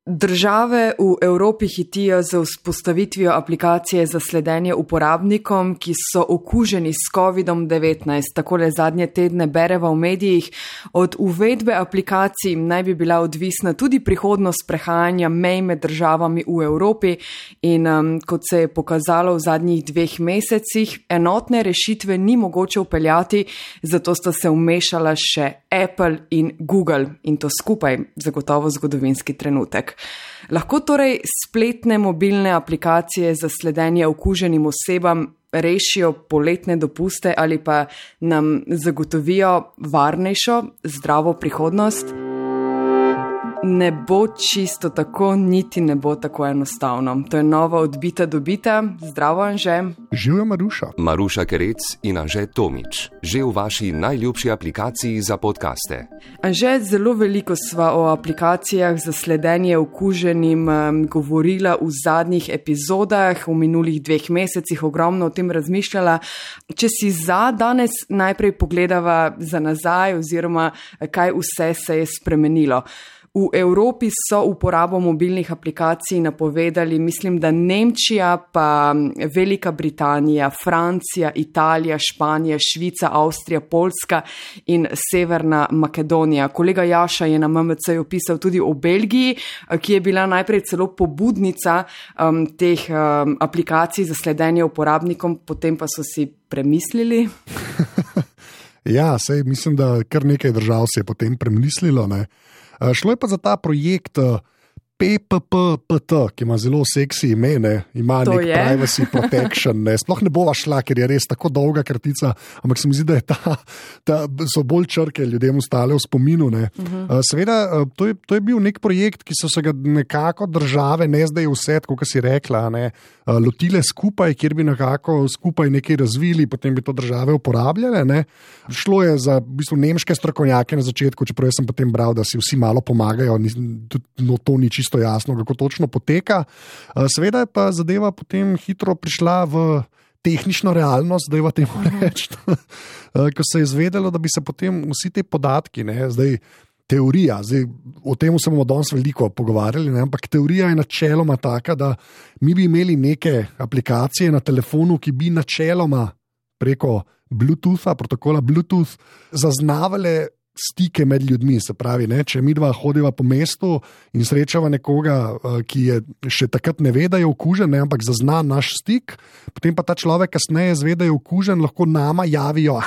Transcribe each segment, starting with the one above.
Države v Evropi hitijo za vzpostavitvijo aplikacije za sledenje uporabnikom, ki so okuženi s COVID-19. Takole zadnje tedne bereva v medijih. Od uvedbe aplikacij naj bi bila odvisna tudi prihodnost prehajanja mej med državami v Evropi in kot se je pokazalo v zadnjih 2 mesecih, enotne rešitve ni mogoče vpeljati, zato sta se vmešala še Apple in Google in to skupaj zagotovo zgodovinski trenutek. Lahko torej spletne mobilne aplikacije za sledenje okuženim osebam rešijo poletne dopuste ali pa nam zagotovijo varnejšo, zdravo prihodnost? Ne bo čisto tako, niti ne bo tako enostavno. To je nova Odbita dobita. Zdravo, Anže. Živjo, Maruša. Maruša Kerec in Anže Tomič. Že v vaši najljubši aplikaciji za podcaste. Anže, zelo veliko sva o aplikacijah za sledenje okuženim govorila v zadnjih epizodah, v minulih 2 mesecih ogromno o tem razmišljala. Če si za danes najprej pogledava za nazaj oziroma kaj vse se je spremenilo. V Evropi so uporabo mobilnih aplikacij napovedali, mislim, da Nemčija, pa Velika Britanija, Francija, Italija, Španija, Švica, Avstrija, Poljska in Severna Makedonija. Kolega Jaša je na MMC opisal tudi o Belgiji, ki je bila najprej celo pobudnica teh aplikacij za sledenje uporabnikom, potem pa so si premislili. Ja, sej mislim, da kar nekaj držav se je potem premislilo, ne. Šlo je pa za ta projekt PPPT, ki ima zelo seksi ime, ne? Ima to nek privacy protection. Ne? Sploh ne bova šla, ker je res tako dolga kratica, ampak se mi zdi, da so bolj črke ljudem ostale v spominu. Ne? Seveda, to je bil nek projekt, ki so se ga nekako države, ne zdaj vse, kot si rekla, ne? Lotile skupaj, kjer bi nekako skupaj nekaj razvili, potem bi to države uporabljale. Ne? Šlo je za v bistvu nemške strokovnjake na začetku, čeprav sem potem bral, da si vsi malo pomagajo, no to ni čisto jasno, kako točno poteka. Seveda je pa zadeva potem hitro prišla v tehnično realnost, da je v temu reči, ko se je izvedelo, da bi se potem vsi te podatki, ne, zdaj teorija, o tem se bomo danes veliko pogovarjali, ne, ampak teorija je načeloma taka, da mi bi imeli neke aplikacije na telefonu, ki bi načeloma preko Bluetootha, protokola Bluetooth, zaznavale stike med ljudmi, se pravi, ne, če mi dva hodiva po mestu in srečava nekoga, ki je še takrat ne ve, da je okužen, ne, ampak zazna naš stik, potem pa ta človek kasneje zve, da je okužen, lahko nama javijo,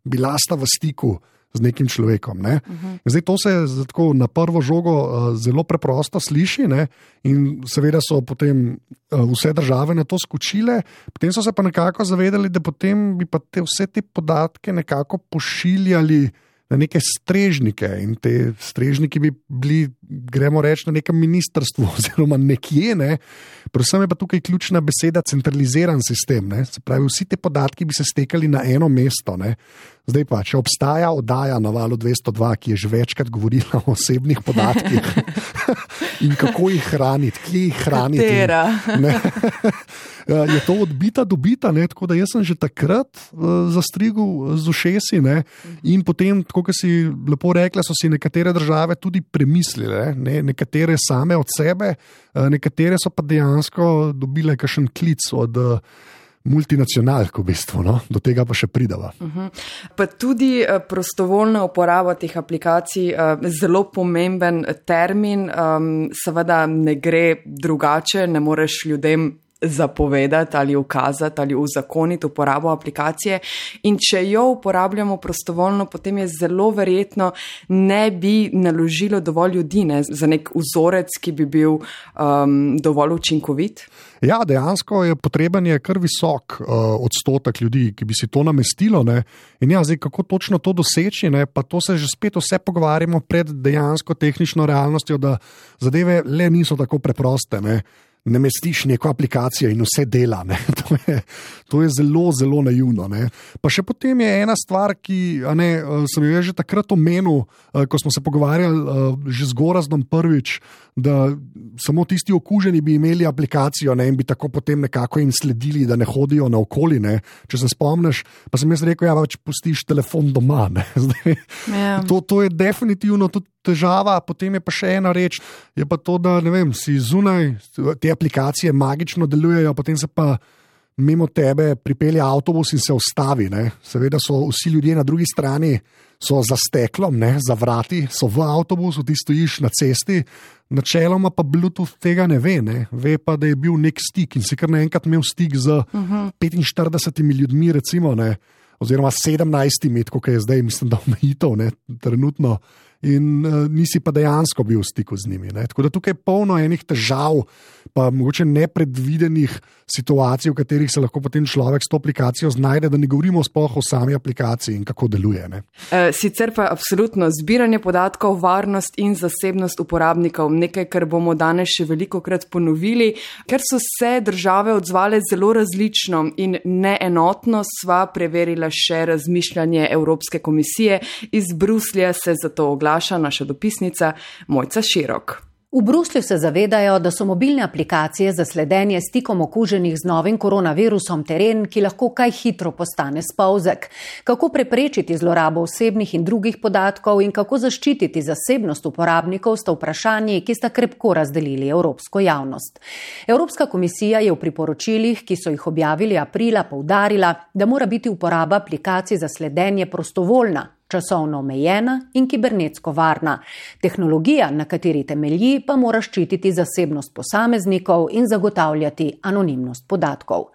bila sta v stiku z nekim človekom. Ne. Zdaj to se tako na prvo žogo zelo preprosto sliši, ne, in seveda so potem vse države na to skočile, potem so se pa nekako zavedali, da potem bi pa vse te podatke nekako pošiljali na neke strežnike in te strežniki bi bili, gremo reči, na nekem ministrstvu oziroma nekje, ne. Predvsem je pa tukaj ključna beseda centraliziran sistem, ne. Se pravi, vsi te podatki bi se stekali na eno mesto, ne. Zdaj pa, če obstaja oddaja na Valu 202, ki je že večkrat govorila o osebnih podatkih in kako jih hraniti, kje jih hraniti. Katera? Je to odbita dobita, ne? Tako da jaz sem že takrat zastrigel z ušesi, ne? In potem, tako kot si lepo rekla, so si nekatere države tudi premislile, ne? Nekatere same od sebe, nekatere so pa dejansko dobile kakšen klic od multinacionalk v bistvu, no? Do tega pa še pridava. Pa tudi prostovoljna uporaba teh aplikacij, zelo pomemben termin, seveda ne gre drugače, ne moreš ljudem zapovedati ali ukazati ali uzakoniti uporabo aplikacije in če jo uporabljamo prostovoljno, potem je zelo verjetno ne bi naložilo dovolj ljudi, ne, za nek vzorec, ki bi bil dovolj učinkovit. Ja, dejansko je potreben je kar visok odstotek ljudi, ki bi si to namestilo, ne. In ja, zdaj kako točno to doseči, ne, pa to se že spet vse pogovarjamo pred dejansko tehnično realnostjo, da zadeve le niso tako preproste, ne. Namestiš neko aplikacijo in vse dela, ne. To je zelo, zelo naivno. Ne. Pa še potem je ena stvar, ki sem jo že takrat omenil, ko smo se pogovarjali že z Gorazdom prvič, da samo tisti okuženi bi imeli aplikacijo, ne, in bi tako potem nekako jim sledili, da ne hodijo naokoli. Ne. Če se spomniš, pa sem jaz rekel, pač pustiš telefon doma. Zdaj, to je definitivno tudi težava. Potem je pa še ena reč, je pa to, da ne vem, si zunaj, te aplikacije magično delujejo, potem se pa mimo tebe pripelje avtobus in se ustavi. Ne. Seveda so vsi ljudje na drugi strani, so za steklom, ne, za vrati, so v avtobusu, ti stojiš na cesti, načeloma pa Bluetooth tega ne ve. Ne. Ve pa, da je bil nek stik in si kar naenkrat imel stik z 45 ljudmi, recimo, ne, oziroma 17, kot je zdaj, mislim, da omejitev, ne, trenutno. In nisi pa dejansko bil v stiku z njimi. Ne. Tako da tukaj je polno enih težav, pa mogoče nepredvidenih situacij, v katerih se lahko potem človek s to aplikacijo znajde, da ne govorimo sploh o sami aplikaciji in kako deluje. Ne. Sicer pa absolutno zbiranje podatkov, varnost in zasebnost uporabnikov, nekaj, kar bomo danes še velikokrat ponovili, ker so se države odzvale zelo različno in neenotno, sva preverila še razmišljanje Evropske komisije. Iz Bruslja se zato oglaša naša dopisnica Mojca Širok. V Bruslju se zavedajo, da so mobilne aplikacije za sledenje stikom okuženih z novim koronavirusom teren, ki lahko kaj hitro postane spolzek. Kako preprečiti zlorabo osebnih in drugih podatkov in kako zaščititi zasebnost uporabnikov sta vprašanji, ki sta krepko razdelili evropsko javnost. Evropska komisija je v priporočilih, ki so jih objavili aprila, poudarila, da mora biti uporaba aplikacij za sledenje prostovoljna, časovno omejena in kibernetsko varna. Tehnologija, na kateri temelji, pa mora ščititi zasebnost posameznikov in zagotavljati anonimnost podatkov.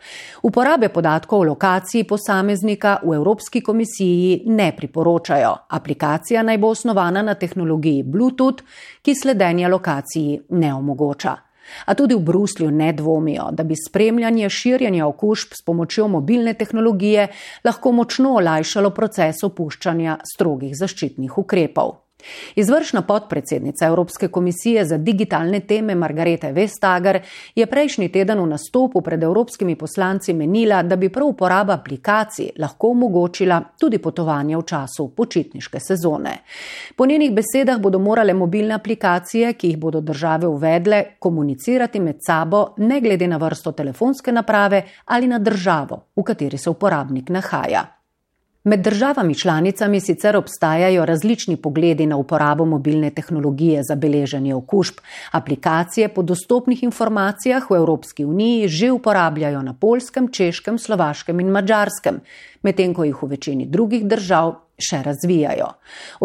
Uporabe podatkov o lokaciji posameznika v Evropski komisiji ne priporočajo. Aplikacija naj bo osnovana na tehnologiji Bluetooth, ki sledenja lokaciji ne omogoča. A tudi v Bruslju ne dvomijo, da bi spremljanje širjenja okužb s pomočjo mobilne tehnologije lahko močno olajšalo proces opuščanja strogih zaščitnih ukrepov. Izvršna podpredsednica Evropske komisije za digitalne teme Margarete Vestager je prejšnji teden v nastopu pred evropskimi poslanci menila, da bi prav uporaba aplikacij lahko omogočila tudi potovanje v času počitniške sezone. Po njenih besedah bodo morale mobilne aplikacije, ki jih bodo države uvedle, komunicirati med sabo ne glede na vrsto telefonske naprave ali na državo, v kateri se uporabnik nahaja. Med državami članicami sicer obstajajo različni pogledi na uporabo mobilne tehnologije za beleženje okužb. Aplikacije po dostopnih informacijah v Evropski uniji že uporabljajo na Poljskem, Češkem, Slovaškem in Madžarskem, medtem ko jih v večini drugih držav še razvijajo.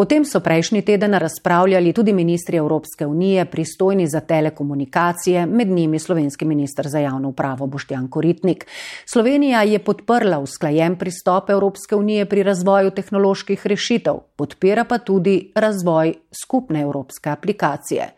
O tem so prejšnji teden razpravljali tudi ministri Evropske unije, pristojni za telekomunikacije, med njimi slovenski minister za javno upravo Boštjan Koritnik. Slovenija je podprla usklajen pristop Evropske unije pri razvoju tehnoloških rešitev, podpira pa tudi razvoj skupne evropske aplikacije.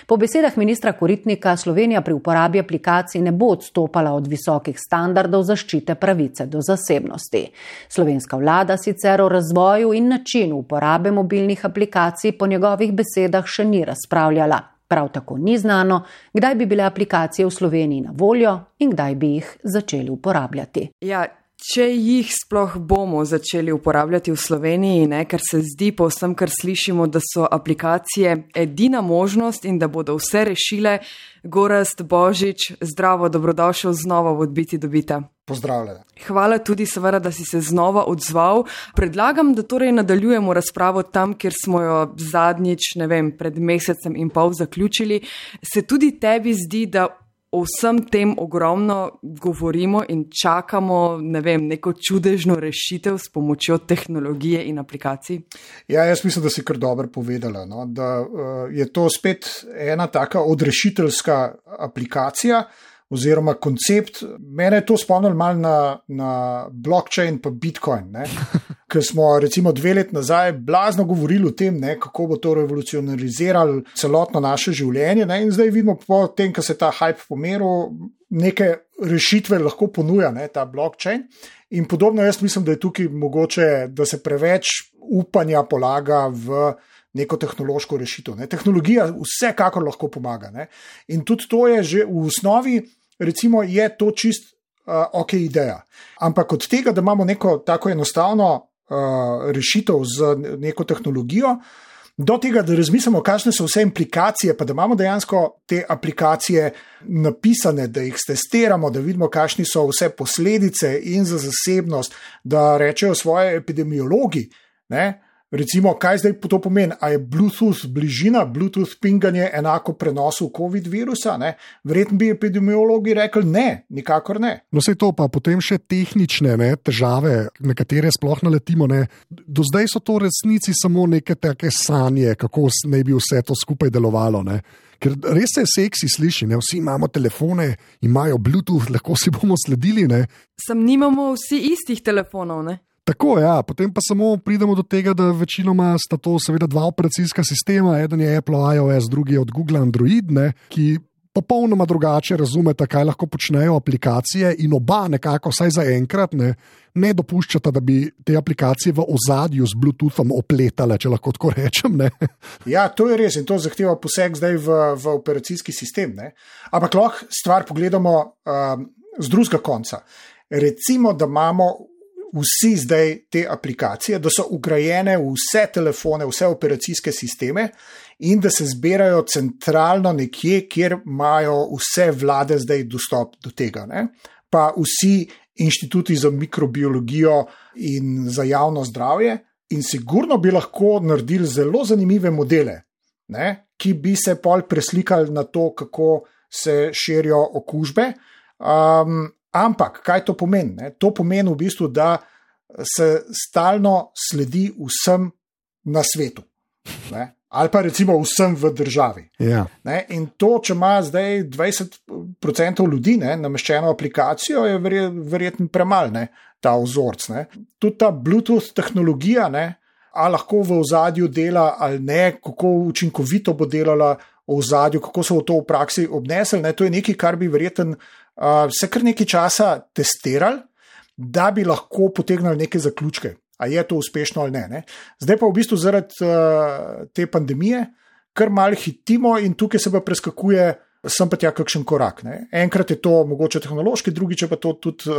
Po besedah ministra Koritnika Slovenija pri uporabi aplikacij ne bo odstopala od visokih standardov zaščite pravice do zasebnosti. Slovenska vlada sicer o razvoju in načinu uporabe mobilnih aplikacij po njegovih besedah še ni razpravljala. Prav tako ni znano, kdaj bi bile aplikacije v Sloveniji na voljo in kdaj bi jih začeli uporabljati. Ja, če jih sploh bomo začeli uporabljati v Sloveniji, ne, ker se zdi po vsem, kar slišimo, da so aplikacije edina možnost in da bodo vse rešile. Gorazd Božič, zdravo, dobrodošel znova v Odbiti do bita. Pozdravljena. Hvala tudi seveda, da si se znova odzval. Predlagam, da torej nadaljujemo razpravo tam, kjer smo jo zadnjič, pred mesecem in pol zaključili. Se tudi tebi zdi, da o vsem tem ogromno govorimo in čakamo, neko čudežno rešitev s pomočjo tehnologije in aplikacij? Ja, jaz mislim, da si kar dobro povedala, no? Da je to spet ena taka odrešiteljska aplikacija oziroma koncept. Mene je to spomnilo malo na blockchain pa Bitcoin, ne? Ker smo recimo 2 leti nazaj blazno govorili o tem, kako bo to revolucionariziralo celotno naše življenje, ne? In zdaj vidimo po tem, ko se ta hype pomeril, neke rešitve lahko ponuja, ta blockchain. In podobno jaz mislim, da je tukaj mogoče, da se preveč upanja polaga v neko tehnološko rešitev. Ne? Tehnologija vsekakor lahko pomaga. Ne? In tudi to je že v osnovi, recimo, je to čist ok ideja. Ampak od tega, da imamo neko tako enostavno rešitev z neko tehnologijo, do tega, da razmislimo, kakšne so vse implikacije, pa da imamo dejansko te aplikacije napisane, da jih testiramo, da vidimo, kakšni so vse posledice in za zasebnost, da rečejo svoje epidemiologi, ne? Recimo, kaj zdaj to pomeni? A je Bluetooth bližina, Bluetooth pinganje enako prenosu COVID virusa? Ne? Verjetno bi epidemiologi rekli ne, nikakor ne. No, sej to pa potem še tehnične težave, na katere sploh naletimo. Ne? Do zdaj so to v resnici samo neke take sanje, kako naj bi vse to skupaj delovalo. Ne? Ker res se seksi sliši, ne? Vsi imamo telefone, imajo Bluetooth, lahko si bomo sledili. Ne? Sam nimamo vsi istih telefonov, ne? Tako, ja, potem pa samo pridemo do tega, da večinoma sta to seveda dva operacijska sistema, eden je Apple iOS, drugi je od Google Android, ne, ki popolnoma drugače razumeta, kaj lahko počnejo aplikacije in oba nekako, vsaj za enkrat, ne dopuščata, da bi te aplikacije v ozadju z Bluetoothom opletale, če lahko tako rečem. Ne. Ja, to je res in to zahteva poseg zdaj v operacijski sistem. Ne. Ampak lahko stvar pogledamo z drugega konca. Recimo, da imamo vsi zdaj te aplikacije, da so ugrajene v vse telefone, vse operacijske sisteme in da se zbirajo centralno nekje, kjer imajo vse vlade zdaj dostop do tega. Ne? Pa vsi inštituti za mikrobiologijo in za javno zdravje in sigurno bi lahko naredili zelo zanimive modele, ne? Ki bi se pol preslikali na to, kako se širijo okužbe. Ampak, kaj to pomeni? Ne? To pomeni v bistvu, da se stalno sledi vsem na svetu. Ne? Ali pa recimo vsem v državi. Ja. Ne? In to, če ima zdaj 20% ljudi nameščeno aplikacijo, je verjetno premalo, ta vzorc. Ne? Tudi ta Bluetooth tehnologija, ali lahko v ozadju dela ali ne, kako učinkovito bo delala v ozadju, kako so to v praksi obnesli. To je nekaj, kar bi verjetno se kar nekaj časa testirali, da bi lahko potegnili neke zaključke, a je to uspešno ali ne. Zdaj pa v bistvu zaradi te pandemije kar malo hitimo in tukaj se pa preskakuje sem pa tja kakšen korak. Enkrat je to mogoče tehnološki, drugič je pa to tudi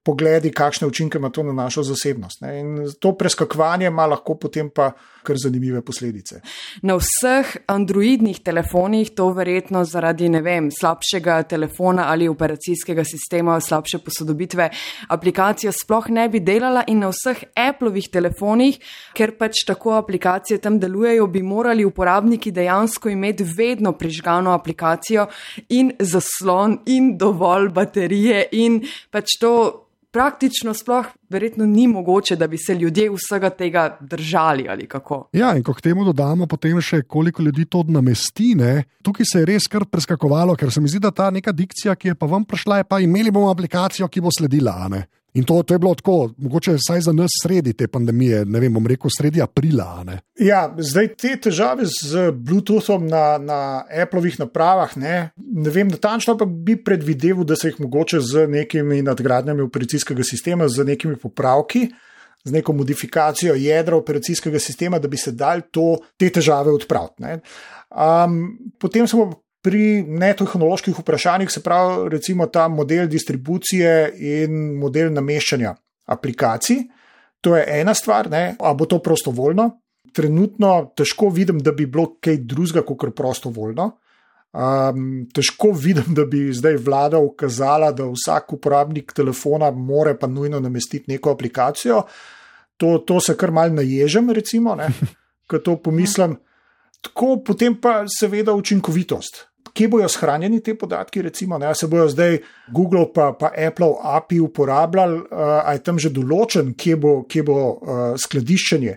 pogledi, kakšne učinke ima to na našo zasebnost. In to preskakovanje ima lahko potem pa kar zanimive posledice. Na vseh androidnih telefonih to verjetno zaradi, slabšega telefona ali operacijskega sistema, slabše posodobitve aplikacija sploh ne bi delala in na vseh Applovih telefonih, ker pač tako aplikacije tam delujejo, bi morali uporabniki dejansko imeti vedno prižgano aplikacijo in zaslon in dovolj baterije in pač to praktično sploh verjetno ni mogoče, da bi se ljudje vsega tega držali ali kako. Ja, in ko k temu dodamo potem še koliko ljudi to namesti, tukaj se je res kar preskakovalo, ker se mi zdi, da ta neka dikcija, ki je pa vam prišla, je pa imeli bomo aplikacijo, ki bo sledila, In to je bilo tako, mogoče vsaj za nas sredi te pandemije, bom rekel sredi aprila. Ja, zdaj te težave z Bluetoothom na Applovih napravah, ne vem natančno, pa bi predvideval, da se jih mogoče z nekimi nadgradnjami operacijskega sistema, z nekimi popravki, z neko modifikacijo jedra operacijskega sistema, da bi se dali te težave odpraviti. Potem smo pri netehnoloških vprašanjih, se pravi recimo ta model distribucije in model nameščanja aplikacij. To je ena stvar, a bo to prostovoljno? Trenutno težko vidim, da bi bilo kaj drugega kot prostovoljno. Težko vidim, da bi zdaj vlada ukazala, da vsak uporabnik telefona more pa nujno namestiti neko aplikacijo. To se kar malo naježem, recimo, ko to pomislim. Tako potem pa seveda učinkovitost. Kje bojo shranjeni te podatki, recimo, se bojo zdaj Google pa Apple API uporabljali, a je tam že določen, kje bo skladiščenje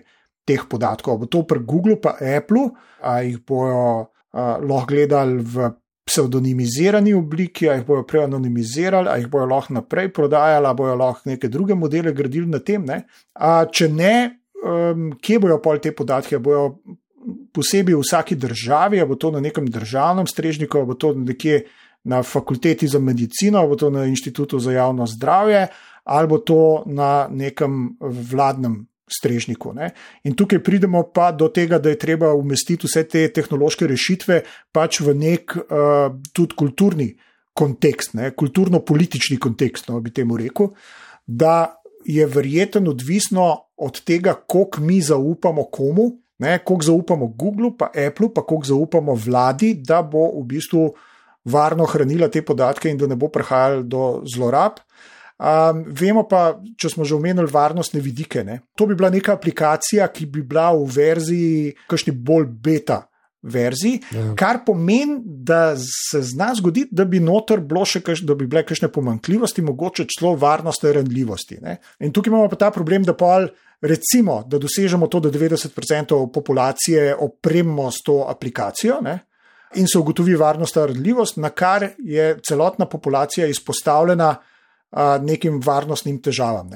teh podatkov. Bo to pri Google pa Apple, a jih bojo lahko gledali v pseudonimizirani obliki, a jih bojo prej anonimizirali, a jih bojo lahko naprej prodajali, a bojo lahko neke druge modele gradili na tem. Če ne, kje bojo pol te podatke, bojo posebej v vsaki državi, a bo to na nekem državnem strežniku, a bo to nekje na fakulteti za medicino, a bo to na inštitutu za javno zdravje, ali bo to na nekem vladnem strežniku. In tukaj pridemo pa do tega, da je treba umestiti vse te tehnološke rešitve pač v nek tudi kulturni kontekst, kulturno-politični kontekst, bi temu rekel, da je verjetno odvisno od tega, koliko mi zaupamo komu, koliko zaupamo Googlu, pa Appleu, pa koliko zaupamo vladi, da bo v bistvu varno hranila te podatke in da ne bo prihajalo do zlorab. Vemo pa, če smo že omenili varnostne vidike, to bi bila neka aplikacija, ki bi bila v verziji, kakšni bolj beta verziji, kar pomeni, da se zna zgoditi, da bi noter bilo še da bi bile kakšne pomanjkljivosti, mogoče celo varnostne ranljivosti. In tukaj imamo pa ta problem, da recimo, da dosežemo to, da 90% populacije opremimo s to aplikacijo, in se ugotovi varnostna ranljivost, na kar je celotna populacija izpostavljena nekim varnostnim težavam.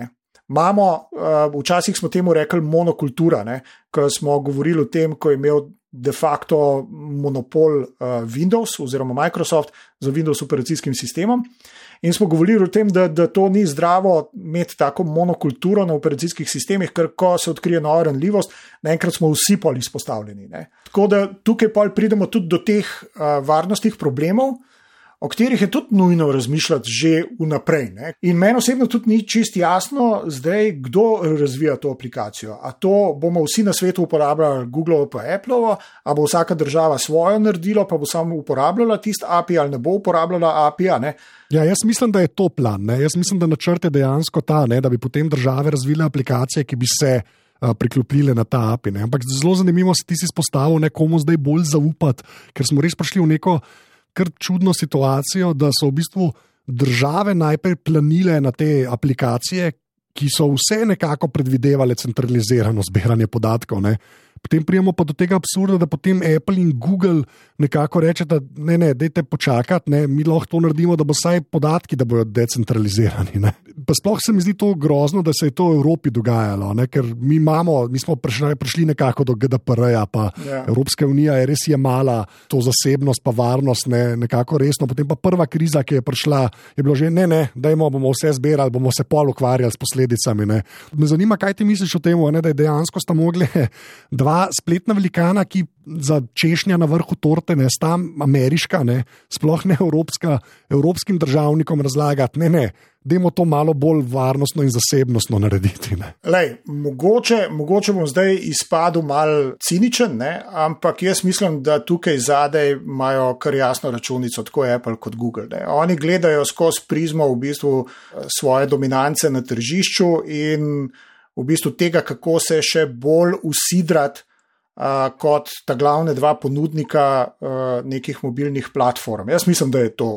Včasih smo temu rekli monokultura, ko smo govorili o tem, ko je imel de facto monopol Windows oziroma Microsoft za Windows operacijskim sistemom. In smo govorili o tem, da to ni zdravo imeti tako monokulturo na operacijskih sistemih, ker ko se odkrije nova ranljivost, naenkrat smo vsi pol izpostavljeni. Tako da tukaj pol pridemo tudi do teh varnostnih problemov, o katerih je tudi nujno razmišljati že vnaprej. In meni osebno tudi ni čist jasno zdaj, kdo razvija to aplikacijo. A to bomo vsi na svetu uporabljali Google pa Apple, a bo vsaka država svojo naredila, pa bo samo uporabljala tisti API ali ne bo uporabljala API. Ja, jaz mislim, da je to plan. Jaz mislim, da načrt je dejansko ta, da bi potem države razvile aplikacije, ki bi se priklopile na ta API. Ampak zelo zanimivo si ti izpostavil, komu zdaj bolj zaupati, ker smo res prišli v neko kar čudno situacijo, da so v bistvu države najprej planile na te aplikacije, ki so vse nekako predvidevale centralizirano zbiranje podatkov. Potem prijemo pa do tega absurda, da potem Apple in Google nekako rečeta, ne, dajte počakati, mi lahko to naredimo, da bo vsaj podatki, da bodo decentralizirani. Pa sploh se mi zdi to grozno, da se je to v Evropi dogajalo, ker mi smo prišli nekako do GDPR-ja, pa Evropska unija je res jemala to zasebnost pa varnost nekako resno. Potem pa prva kriza, ki je prišla, je bilo že dajmo, bomo vse zbirali, bomo se pol ukvarjali s posledicami. Me zanima, kaj ti misliš o tem, da je dejansko sta mogli dva spletna velikana, ki za češnja na vrhu torte, sta ameriška, sploh ne evropska, evropskim državnikom razlagati, dajmo to malo bolj varnostno in zasebnostno narediti. Mogoče bom zdaj izpadel mal ciničen, ampak jaz mislim, da tukaj zadaj imajo kar jasno računico, tako Apple kot Google. Oni gledajo skozi prizmo v bistvu svoje dominance na tržišču in v bistvu tega, kako se še bolj usidrati kot ta glavne dva ponudnika nekih mobilnih platform. Jaz mislim, da je to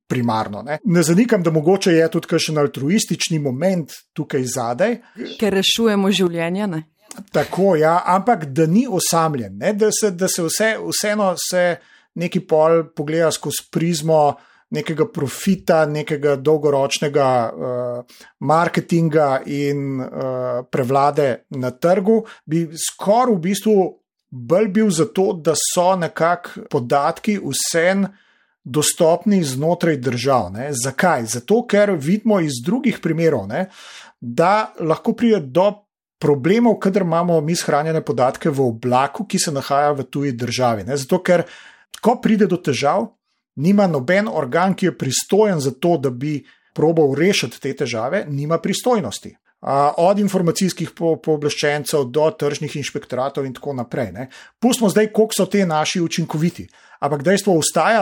primarno. Ne zanikam, da mogoče je tudi kakšen altruistični moment tukaj zadaj. Ker rešujemo življenja, Tako, ampak da ni osamljen, da se vseeno se neki pol pogleda skozi prizmo nekega profita, nekega dolgoročnega marketinga in prevlade na trgu, bi skoraj v bistvu bolj bil za to, da so nekako podatki vsem dostopni znotraj držav. Zakaj? Zato, ker vidimo iz drugih primerov, da lahko pride do problemov, kadar imamo mi shranjene podatke v oblaku, ki se nahaja v tuji državi. Zato, ker ko pride do težav, nima noben organ, ki je pristojen za to, da bi probal rešiti te težave, nima pristojnosti. Od informacijskih pooblaščencev do tržnih inšpektoratov in tako naprej. Pustimo zdaj, koliko so te naši učinkoviti. Ampak dejstvo ostaja,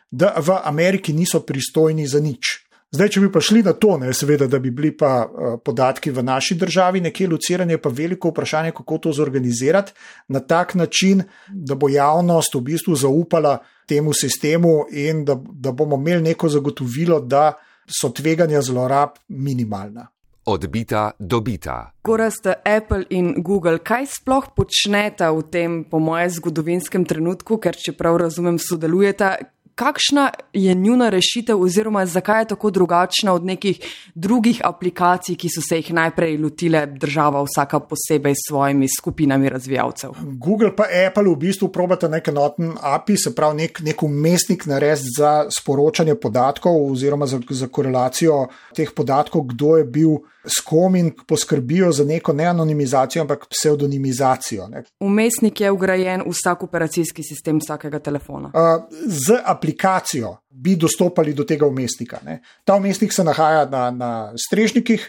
da v Ameriki niso pristojni za nič. Zdaj, če bi pa šli na to, seveda, da bi bili pa podatki v naši državi nekje locirani, je pa veliko vprašanje, kako to zorganizirati na tak način, da bo javnost v bistvu zaupala temu sistemu in da bomo imeli neko zagotovilo, da so tveganja zlorab minimalna. Odbita do bita. Gorazd, Apple in Google, kaj sploh počneta v tem, po mojem, zgodovinskem trenutku, ker čeprav razumem, sodelujeta? Kakšna je njuna rešitev oziroma zakaj je tako drugačna od nekih drugih aplikacij, ki so se jih najprej lotile država vsaka posebej s svojimi skupinami razvijalcev? Google pa Apple v bistvu probata nek enoten API, se pravi nek umestnik narediti za sporočanje podatkov oziroma za korelacijo teh podatkov, kdo je bil s kom in poskrbijo za neko ne anonimizacijo, ampak pseudonimizacijo. Umestnik je vgrajen v vsak operacijski sistem vsakega telefona. Z aplikacijo bi dostopali do tega vmesnika. Ne. Ta vmesnik se nahaja na strežnikih,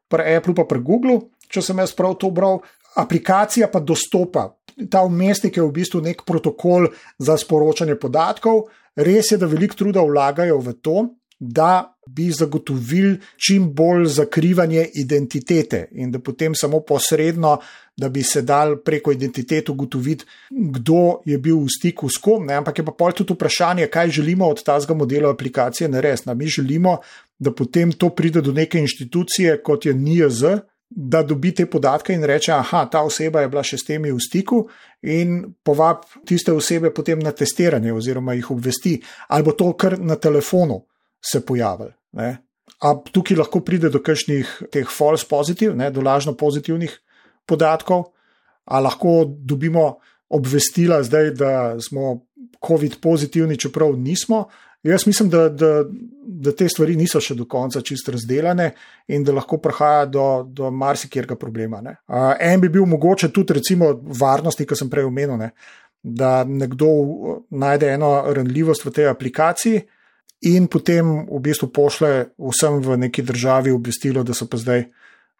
pri Apple pa pri Google, če sem jaz prav to bral, aplikacija pa dostopa. Ta vmesnik je v bistvu nek protokol za sporočanje podatkov. Res je, da veliko truda vlagajo v to, da bi zagotovili čim bolj zakrivanje identitete in da potem samo posredno, da bi se dal preko identitete ugotoviti, kdo je bil v stiku s kom, ne? Ampak je pa pol tudi vprašanje, kaj želimo od tazga modela aplikacije narediti. Mi želimo, da potem to pride do neke inštitucije, kot je NIJZ, da dobi te podatke in reče, aha, ta oseba je bila še s temi v stiku in povab tiste osebe potem na testiranje oziroma jih obvesti, ali bo to kar na telefonu se pojavili. Ne? A tukaj lahko pride do kakšnih teh false positive, ne, do lažno pozitivnih podatkov, a lahko dobimo obvestila zdaj, da smo COVID pozitivni, čeprav nismo. Jaz mislim, da te stvari niso še do konca čisto razdelane in da lahko prihaja do marsikjerga problema. Ne. En bi bil mogoče tudi recimo varnosti, ki sem prej omenil, ne, da nekdo najde eno ranljivost v tej aplikaciji in potem v bistvu pošle vsem v neki državi obvestilo, da so pa zdaj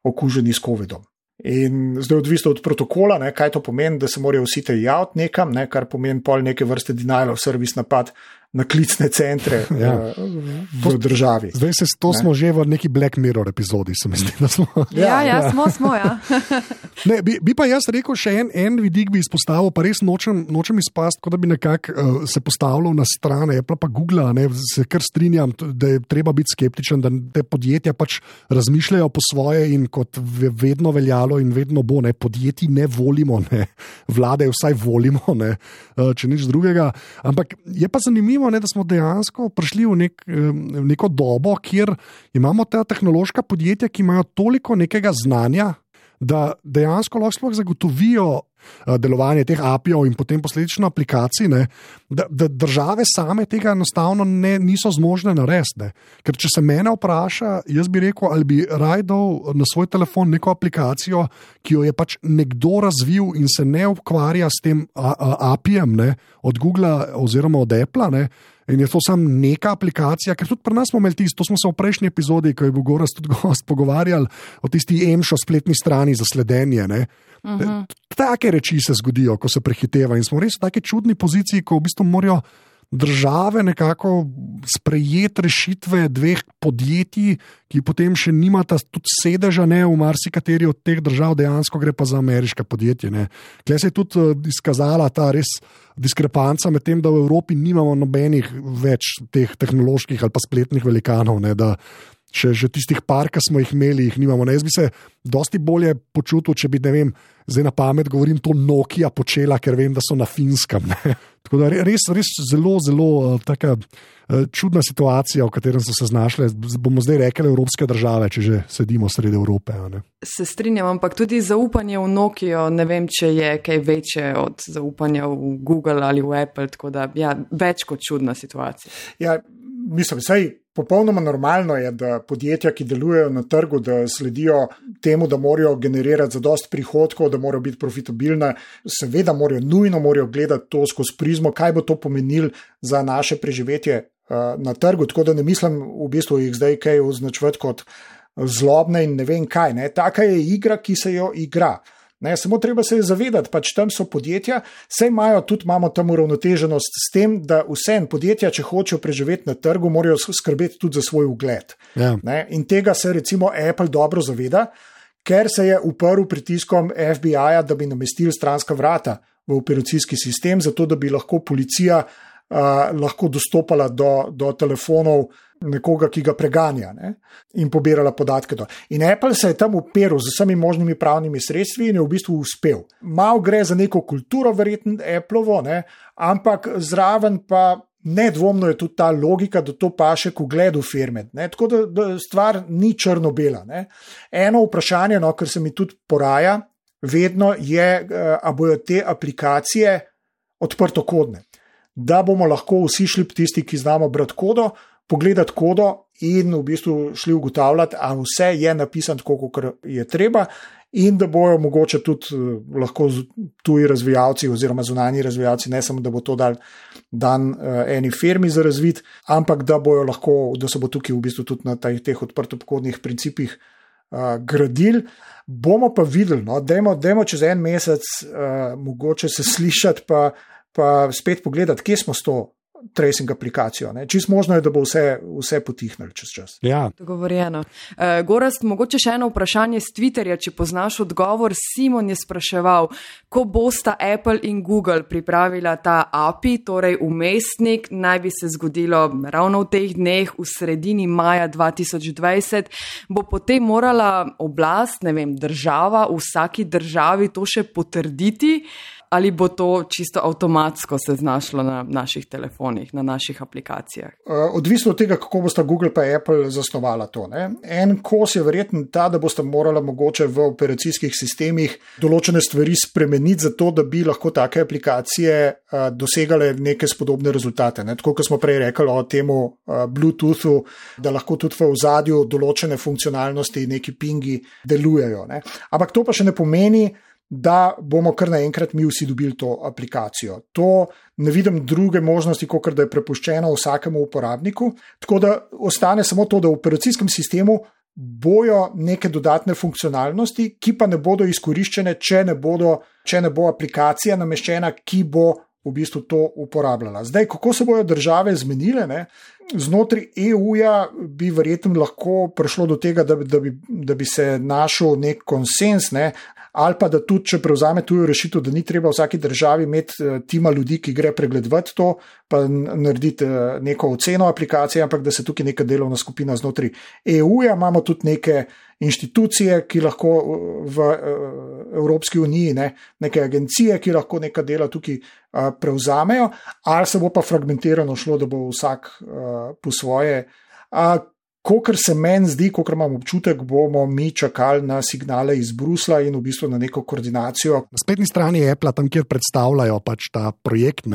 okuženi s COVID-om. In zdaj odvisno od protokola, ne, kaj to pomeni, da se morajo vsi te javiti nekam, ne, kar pomeni pol neke vrste denial of service napad na klicne centre v državi. Zdaj smo že v neki Black Mirror epizodi, se mi zdi, da smo. Smo, ja. Ne, bi pa jaz rekel še en vidik bi izpostavil, pa res nočem izpasti, kot da bi nekako se postavljal na stran Apple pa Google, ne, se kar strinjam, da je treba biti skeptičen, da te podjetja pač razmišljajo po svoje in kot vedno veljalo in vedno bo, ne, podjetji ne volimo, ne, vlade vsaj volimo, ne, če nič drugega, ampak je pa zanimivo, ne, da smo dejansko prišli v neko dobo, kjer imamo ta tehnološka podjetja, ki imajo toliko nekega znanja, da dejansko lahko zagotovijo delovanje teh API-jev in potem posledično aplikacij, ne, da države same tega enostavno niso zmožne narediti. Ker če se mene vpraša, jaz bi rekel, ali bi raje dal na svoj telefon neko aplikacijo, ki jo je pač nekdo razvil in se ne ukvarja s tem API-jem, ne, od Google oziroma od Apple, ne, in je to samo neka aplikacija, ker tudi pri nas smo imeli tisto, to smo se v prejšnji epizodi, ko je bil Gorazd tudi gost, pogovarjali o tisti EMŠO spletni strani za sledenje, ne. Take reči se zgodijo, ko se prehiteva in smo res v taki čudni poziciji, ko v bistvu morajo države nekako sprejeti rešitve dveh podjetij, ki potem še nimata tudi sedeža, ne, v marsikateri od teh držav, dejansko gre pa za ameriška podjetje. Tukaj se je tudi izkazala ta res diskrepanca med tem, da v Evropi nimamo nobenih več teh tehnoloških ali pa spletnih velikanov, ne, da še tistih par, ki smo jih imeli, jih nimamo. Jaz bi se dosti bolje počutil, če bi, ne vem, zdaj na pamet govorim, to Nokia počela, ker vem, da so na Finskem. Ne. Tako da res zelo, zelo taka čudna situacija, v katerem so se znašle, bomo zdaj rekli, evropske države, če že sedimo sredi Evrope. Ne. Se strinjam, ampak tudi zaupanje v Nokio, ne vem, če je kaj večje od zaupanja v Google ali v Apple, tako da ja, več kot čudna situacija. Ja, mislim, saj popolnoma normalno je, da podjetja, ki delujejo na trgu, da sledijo temu, da morajo generirati zadost prihodkov, da morajo biti profitabilne, seveda nujno morajo gledati to skozi prizmo, kaj bo to pomenilo za naše preživetje na trgu, tako da ne mislim v bistvu jih zdaj kaj označevati kot zlobne in ne vem kaj. Ne. Taka je igra, ki se jo igra. Ne, samo treba se je zavedati, pač tam so podjetja, saj imamo tam uravnoteženost s tem, da vsem podjetja, če hočejo preživeti na trgu, morajo skrbeti tudi za svoj ugled. Ja. Ne, in tega se recimo Apple dobro zaveda, ker se je uprl pritiskom FBI-ja, da bi namestili stranska vrata v operacijski sistem, zato da bi lahko policija lahko dostopala do telefonov nekoga, ki ga preganja, ne, in pobirala podatke. In Apple se je tam uperil z vsemi možnimi pravnimi sredstvi in je v bistvu uspel. Mal gre za neko kulturo, verjetno Appleovo, ne, ampak zraven pa nedvomno je tudi ta logika, da to paše k ugledu firme. Ne, tako da stvar ni črno-bela. Ne. Eno vprašanje, no, kar se mi tudi poraja, vedno je, a bojo te aplikacije odprtokodne. Da bomo lahko vsi šli tisti, ki znamo brati kodo, pogledati kodo in v bistvu šli ugotavljati, a vse je napisano tako, kot je treba in da bojo mogoče tudi lahko tuji razvijalci oziroma zunanji razvijalci, ne samo da bo to dan eni firmi za razvid, ampak da se bo tukaj v bistvu tudi na teh odprtopkodnih principih gradili. Bomo pa videli, no, dajmo čez en mesec mogoče se slišati pa spet pogledati, kje smo s to tracing aplikacijo. Čisto možno je, da bo vse potihnilo čez čas. Ja. Dogovorjeno. Gorazd, mogoče še eno vprašanje z Twitterja, če poznaš odgovor. Simon je spraševal, ko bosta Apple in Google pripravila ta API, torej umestnik, naj bi se zgodilo ravno v teh dneh, v sredini maja 2020, bo potem morala oblast, država, v vsaki državi to še potrditi, ali bo to čisto avtomatsko se znašlo na naših telefonih, na naših aplikacijah? Odvisno od tega, kako bosta Google pa Apple zasnovala to. En kos je verjetno ta, da bosta morala mogoče v operacijskih sistemih določene stvari spremeniti zato, da bi lahko take aplikacije dosegale neke spodobne rezultate. Tako, kot smo prej rekli o temu Bluetoothu, da lahko tudi v ozadju določene funkcionalnosti, neki pingi delujejo. Ampak to pa še ne pomeni, da bomo kar naenkrat mi vsi dobili to aplikacijo. To ne vidim druge možnosti, kot da je prepuščeno vsakemu uporabniku, tako da ostane samo to, da v operacijskem sistemu bojo neke dodatne funkcionalnosti, ki pa ne bodo izkoriščene, če ne bo aplikacija nameščena, ki bo v bistvu to uporabljala. Zdaj, kako se bojo države zmenile, znotraj EU-ja bi verjetno lahko prišlo do tega, da bi se našel nek konsens, ali pa da tudi, če prevzame tujo rešitev, da ni treba vsaki državi imeti tima ljudi, ki gre pregledovati to, pa narediti neko oceno aplikacije, ampak da se tukaj neka delovna skupina znotraj EU-ja, imamo tudi neke inštitucije, ki lahko v Evropski uniji, neke agencije, ki lahko neka dela tukaj prevzamejo, ali se bo pa fragmentirano šlo, da bo vsak po svoje. Kokor se meni zdi, kokor imam občutek, bomo mi čakali na signale iz Bruslja in v bistvu na neko koordinacijo. Na spletni strani Apple, tam kjer predstavljajo pač ta projekt,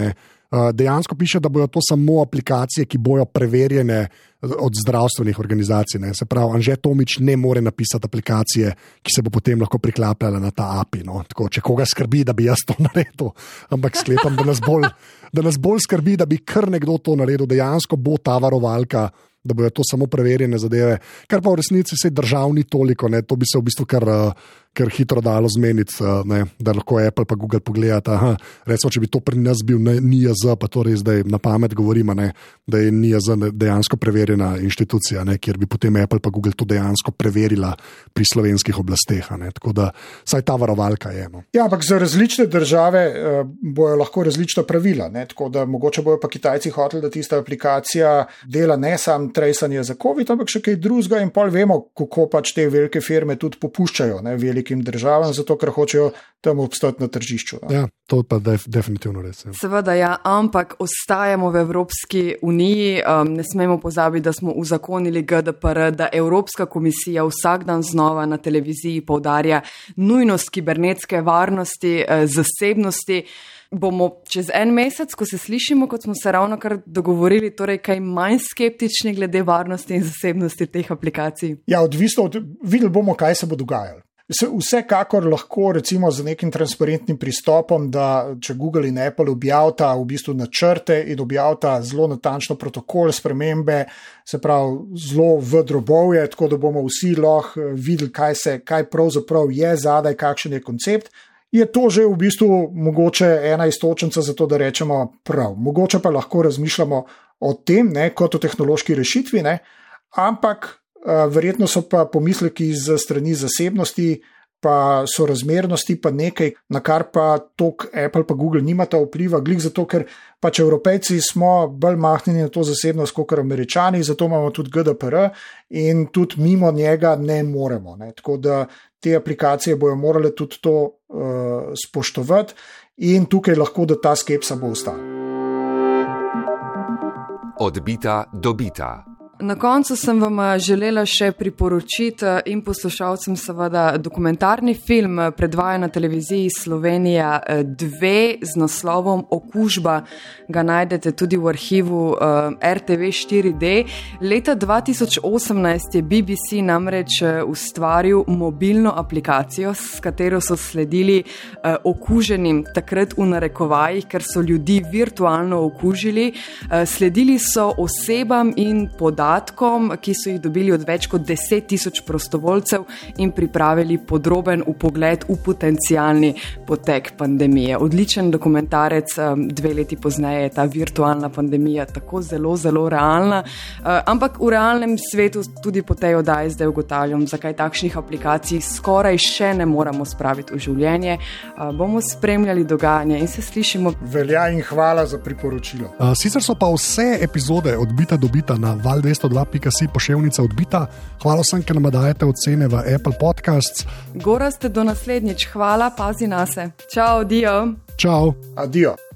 dejansko piše, da bojo to samo aplikacije, ki bojo preverjene od zdravstvenih organizacij. Se pravi, Anže Tomič ne more napisati aplikacije, ki se bo potem lahko priklapljala na ta API. Tako, če koga skrbi, da bi jaz to naredil, ampak sklepam, da nas bolj skrbi, da bi kar nekdo to naredil, dejansko bo ta varovalka, da bojo to samo preverjene zadeve, kar pa v resnici vse državni toliko, to bi se v bistvu kar hitro dalo zmeniti, da lahko Apple pa Google pogledata. Recimo, če bi to pri nas bil NIJZ, pa to res zdaj na pamet govorimo, da je NIJZ dejansko preverjena inštitucija, kjer bi potem Apple pa Google to dejansko preverila pri slovenskih oblasteh. Tako da saj ta varovalka je. Ja, ampak za različne države bojo lahko različna pravila. Tako da mogoče bojo pa Kitajci hoteli, da tista aplikacija dela ne sam tracanje za COVID, ampak še kaj drugega in pol vemo, kako pač te velike firme tudi popuščajo velikim državam, zato ker hočejo tam obstati na tržišču. Ja, to pa definitivno res. Seveda, ja, ampak ostajamo v Evropski uniji. Ne smemo pozabiti, da smo uzakonili GDPR, da Evropska komisija vsak dan znova na televiziji poudarja nujnost kibernetske varnosti, zasebnosti. Bomo čez en mesec, ko se slišimo, kot smo se ravno kar dogovorili, torej kaj manj skeptični glede varnosti in zasebnosti teh aplikacij? Ja, odvisno videli bomo, kaj se bo dogajalo. Vsekakor lahko recimo z nekim transparentnim pristopom, da če Google in Apple objavita v bistvu načrte in objavita zelo natančno protokol spremembe, se pravi zelo v drobovje, tako da bomo vsi lahko videli, kaj pravzaprav je zadaj, kakšen je koncept, je to že v bistvu mogoče ena iztočnica za to, da rečemo prav. Mogoče pa lahko razmišljamo o tem, kot o tehnološki rešitvi, ampak verjetno so pa pomisleki z strani zasebnosti, pa sorazmernosti, pa nekaj, na kar pa tok Apple pa Google nimata vpliva, glih zato, ker pač Evropejci smo bolj mahnjeni na to zasebnost kot Američani, zato imamo tudi GDPR in tudi mimo njega ne moremo. Tako da te aplikacije bojo morale tudi to spoštovati in tukaj lahko, da ta skepsa bo ostala. Odbita dobita. Na koncu sem vam želela še priporočiti in poslušalcem seveda dokumentarni film, predvaja na televiziji Slovenija 2 z naslovom Okužba. Ga najdete tudi v arhivu RTV 4D. Leta 2018 je BBC namreč ustvaril mobilno aplikacijo, s katero so sledili okuženim, takrat v narekovajih, ker so ljudi virtualno okužili. Sledili so osebam in podatkom, ki so jih dobili od več kot 10,000 prostovoljcev in pripravili podroben vpogled v potencialni potek pandemije. Odličen dokumentarec, 2 leti pozneje je ta virtualna pandemija tako zelo, zelo realna, ampak v realnem svetu tudi po tej oddaji zdaj ugotavljam, zakaj takšnih aplikacij skoraj še ne moramo spraviti v življenje. Bomo spremljali dogajanje in se slišimo. Velja in hvala za priporočilo. Sicer so pa vse epizode Odbita dobita na val202.si poševnica odbita. Hvala vsem, ker nam dajete ocene v Apple Podcasts. Gorazd, do naslednjič. Hvala, pazi nase. Čau, dio. Čau. Adio.